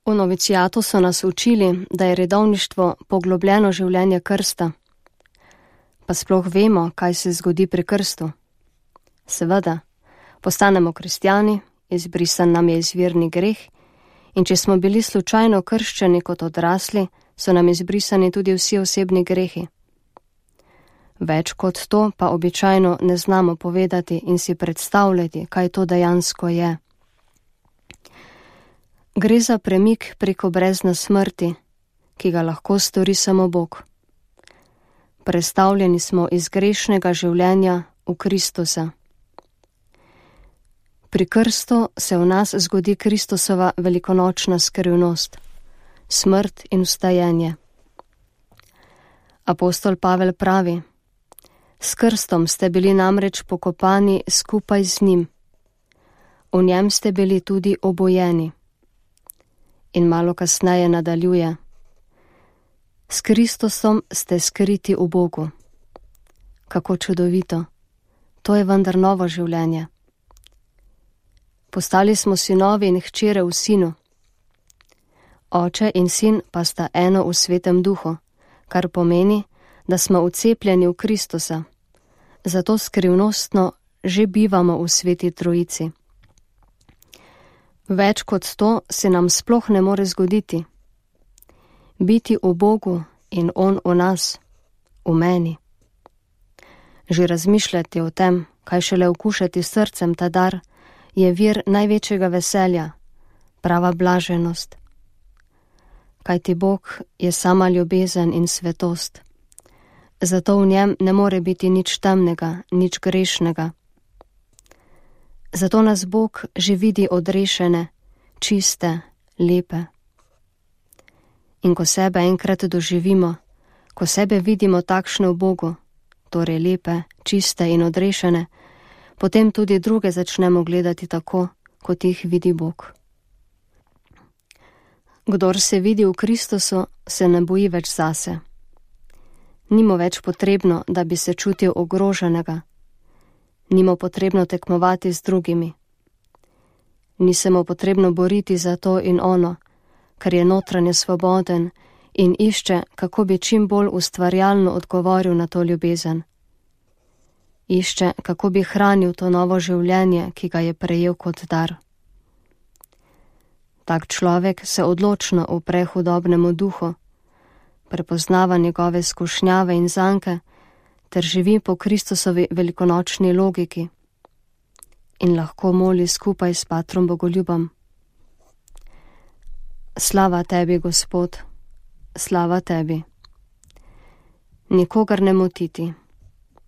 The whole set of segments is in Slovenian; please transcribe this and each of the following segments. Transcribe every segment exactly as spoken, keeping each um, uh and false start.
V novicijatu so nas učili, da je redovništvo poglobljeno življenje krsta. Pa sploh vemo, kaj se zgodi pri krstu. Seveda, postanemo kristjani, izbrisan nam je izvirni greh, in če smo bili slučajno krščeni kot odrasli, so nam izbrisani tudi vsi osebni grehi. Več kot to pa običajno ne znamo povedati in si predstavljati, kaj to dejansko je. Gre za premik preko brezna smrti, ki ga lahko stori samo Bog. Prestavljeni smo iz grešnega življenja v Kristusa. Pri krstu se v nas zgodi Kristusova velikonočna skrivnost, smrt in vstajenje. Apostol Pavel pravi: s krstom ste bili namreč pokopani skupaj z njim. V njem ste bili tudi obojeni. In malo kasneje nadaljuje: s Kristusom ste skriti v Bogu. Kako čudovito! To je vendar novo življenje. Postali smo sinovi in hčere v Sinu. Oče in sin pa sta eno v Svetem Duhu, kar pomeni, da smo vcepljeni v Kristusa. Zato skrivnostno že bivamo v Sveti Trojici. Več kot to se nam sploh ne more zgoditi. Biti v Bogu in On v nas, v meni. Že razmišljati o tem, kaj šele okušati srcem ta dar, je vir največjega veselja, prava blaženost. Kajti Bog je sama ljubezen in svetost. Zato v njem ne more biti nič temnega, nič grešnega. Zato nas Bog že vidi odrešene, čiste, lepe. In ko sebe enkrat doživimo, ko sebe vidimo takšne v Bogu, torej lepe, čiste in odrešene, potem tudi druge začnemo gledati tako, kot jih vidi Bog. Kdor se vidi v Kristusu, se ne boji več zase. Ni mu več potrebno, da bi se čutil ogroženega. Ni mu potrebno tekmovati z drugimi. Ni se mu potrebno boriti za to in ono, ker je notranje svoboden in išče, kako bi čim bolj ustvarjalno odgovoril na to ljubezen. Išče, kako bi hranil to novo življenje, ki ga je prejel kot dar. Tak človek se odločno upre hudobnemu duhu, prepoznava njegove skušnjave in zanke ter živi po Kristusovi velikonočni logiki in lahko moli skupaj s Patrom Bogoljubom. Slava tebi, Gospod, slava tebi. Nikogar ne motiti,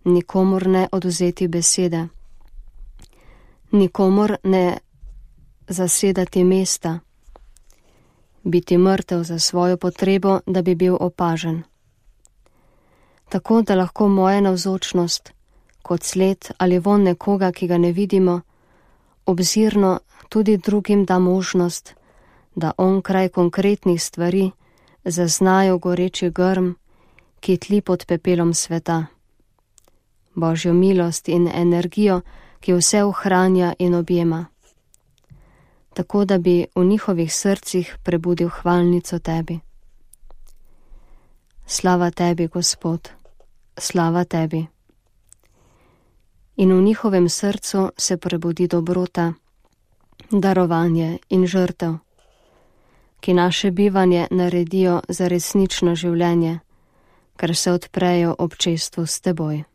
nikomur ne odvzeti besede, nikomur ne zasedati mesta, biti mrtev za svojo potrebo, da bi bil opažen. Tako, da lahko moja navzočnost, kot sled ali von nekoga, ki ga ne vidimo, obzirno tudi drugim da možnost, da onkraj konkretnih stvari zaznajo goreči grm, ki tli pod pepelom sveta. Božjo milost in energijo, ki vse ohranja in objema. Tako, da bi v njihovih srcih prebudil hvalnico tebi. Slava tebi, Gospod, slava tebi. In v njihovem srcu se prebudi dobrota, darovanje in žrtev, ki naše bivanje naredijo za resnično življenje, ker se odprejo občestvu s teboj.